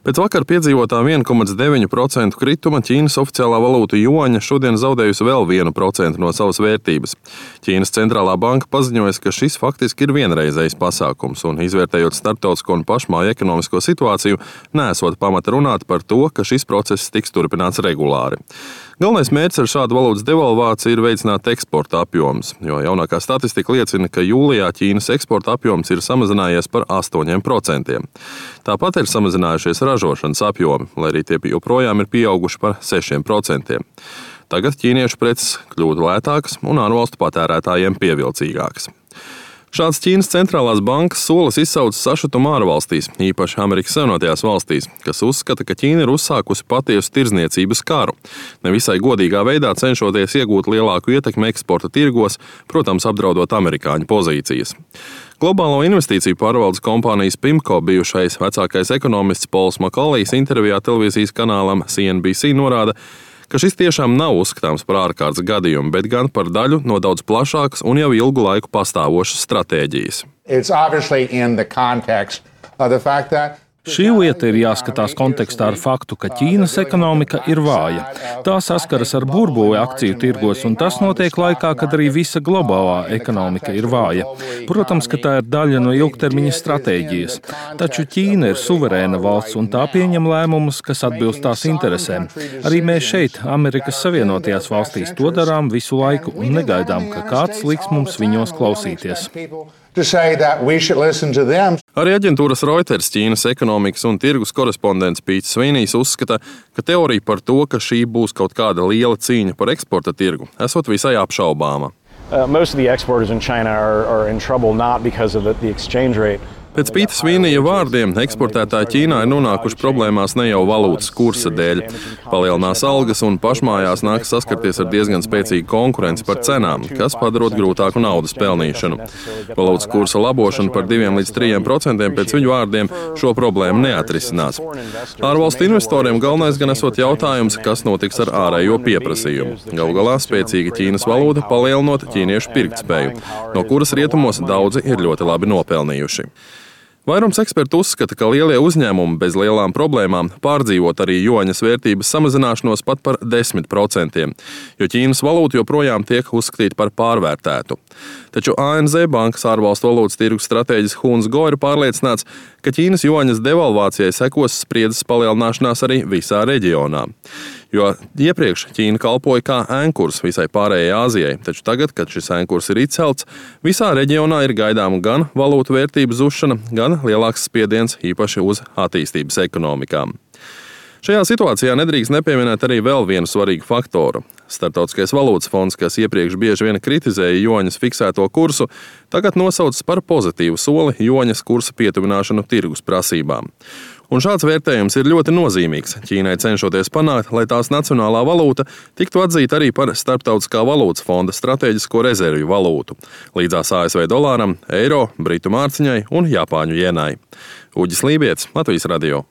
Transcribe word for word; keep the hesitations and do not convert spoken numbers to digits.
Pēc vakar piedzīvotā viena komats deviņi procenti krituma Ķīnas oficiālā valūta juaņa šodien zaudējusi vēl vienu procentu no savas vērtības. Ķīnas centrālā banka paziņoja, ka šis faktiski ir vienreizējs pasākums un, izvērtējot starptautisko un pašmāju ekonomisko situāciju, neesot pamata runāt par to, ka šis process tiks turpināts regulāri. Galvenais mērķis ar šādu valūtas devalvāciju ir veicināt eksporta apjomus, jo jaunākā statistika liecina, ka jūlijā Ķīnas eksporta apjoms ir samazinājies par astoņiem procentiem. Tāpat ir samazinājušies ražošanas apjomi, lai arī tie joprojām ir pieauguši par sešiem procentiem. Tagad ķīniešu preces kļūtu lētākas un ārvalstu patērētājiem pievilcīgākas. Šāds Ķīnas centrālās bankas solis izsauca sašutumu ārvalstīs, īpaši Amerikas Savienotajās valstīs, kas uzskata, ka Ķīna ir uzsākusi patiesu tirdzniecības karu, nevisai godīgā veidā cenšoties iegūt lielāku ietekmi eksporta tirgos, protams, apdraudot amerikāņu pozīcijas. Globālo investīciju pārvaldes kompānijas Pimco bijušais vecākais ekonomists Pols Makalijs intervijā televīzijas kanālam C N B C norāda, ka šis tiešām nav uzskatāms par ārkārtas gadījumu, bet gan par daļu no daudz plašākas un jau ilgu laiku pastāvošas stratēģijas. Šī lieta ir jāskatās kontekstā ar faktu, ka Ķīnas ekonomika ir vāja. Tā saskaras ar burbuli akciju tirgos, un tas notiek laikā, kad arī visa globālā ekonomika ir vāja. Protams, ka tā ir daļa no ilgtermiņa stratēģijas. Taču Ķīna ir suverēna valsts, un tā pieņem lēmumus, kas atbilst tās interesēm. Arī mēs šeit, Amerikas Savienotajās valstīs, to darām visu laiku un negaidām, ka kāds liks mums viņos klausīties. Arī aģentūras Reuters Ķīnas ekonomikas un tirgus korespondents Pīts Svinijs uzskata, ka teorija par to, ka šī būs kaut kāda liela cīņa par eksporta tirgu, esot visai apšaubāma. Uh, most of the exporters in China are, are in trouble not because of the, the exchange rate. Pēc Pīta Svinija vārdiem, eksportētāji Ķīnā ir nonākuši problēmās ne jau valūtas kursa dēļ. Palielinās algas un pašmājās nāks saskarties ar diezgan spēcīgu konkurenci par cenām, kas padarot grūtāku naudas pelnīšanu. Valūtas kursa labošana par diviem līdz trījiem procentiem pēc viņu vārdiem šo problēmu neatrisinās. Ārvalstu investoriem galvenais gan esot jautājums, kas notiks ar ārējo pieprasījumu. Galu galā spēcīga Ķīnas valūta palielinot ķīniešu pirktspēju, no kuras rietumos daudzi ir ļoti labi nopelnījuši. Vairums ekspertu uzskata, ka lielie uzņēmumi bez lielām problēmām pārdzīvot arī juaņas vērtības samazināšanos pat par desmit procentiem, jo Ķīnas valūta joprojām tiek uzskatīta par pārvērtētu. Taču A N Z bankas ārvalstu valūtas tirgus stratēģis Huns Go ir pārliecināts, ka Ķīnas juaņas devalvācijai sekos spriedzes palielināšanās arī visā reģionā. Jo iepriekš Ķīna kalpoja kā ēnkurs visai pārējai Āzijai, taču tagad, kad šis ēnkurs ir izcelts, visā reģionā ir gaidāma gan valūtu vērtību zušana, gan lielāks spiediens īpaši uz attīstības ekonomikām. Šajā situācijā nedrīkst nepieminēt arī vēl vienu svarīgu faktoru. Starptautiskais valūtas fonds, kas iepriekš bieži vien kritizēja juaņas fiksēto kursu, tagad nosaucas par pozitīvu soli juaņas kursa pietuvināšanu tirgus prasībām. Un šāds vērtējums ir ļoti nozīmīgs Ķīnai cenšoties panākt, lai tās nacionālā valūta tiktu atzīta arī par Starptautiskā valūtas fonda stratēģisko rezervju valūtu, līdzās A S V dolāram, eiro, britu mārciņai un japāņu jenai. Uģis Lībietis, Latvijas radio.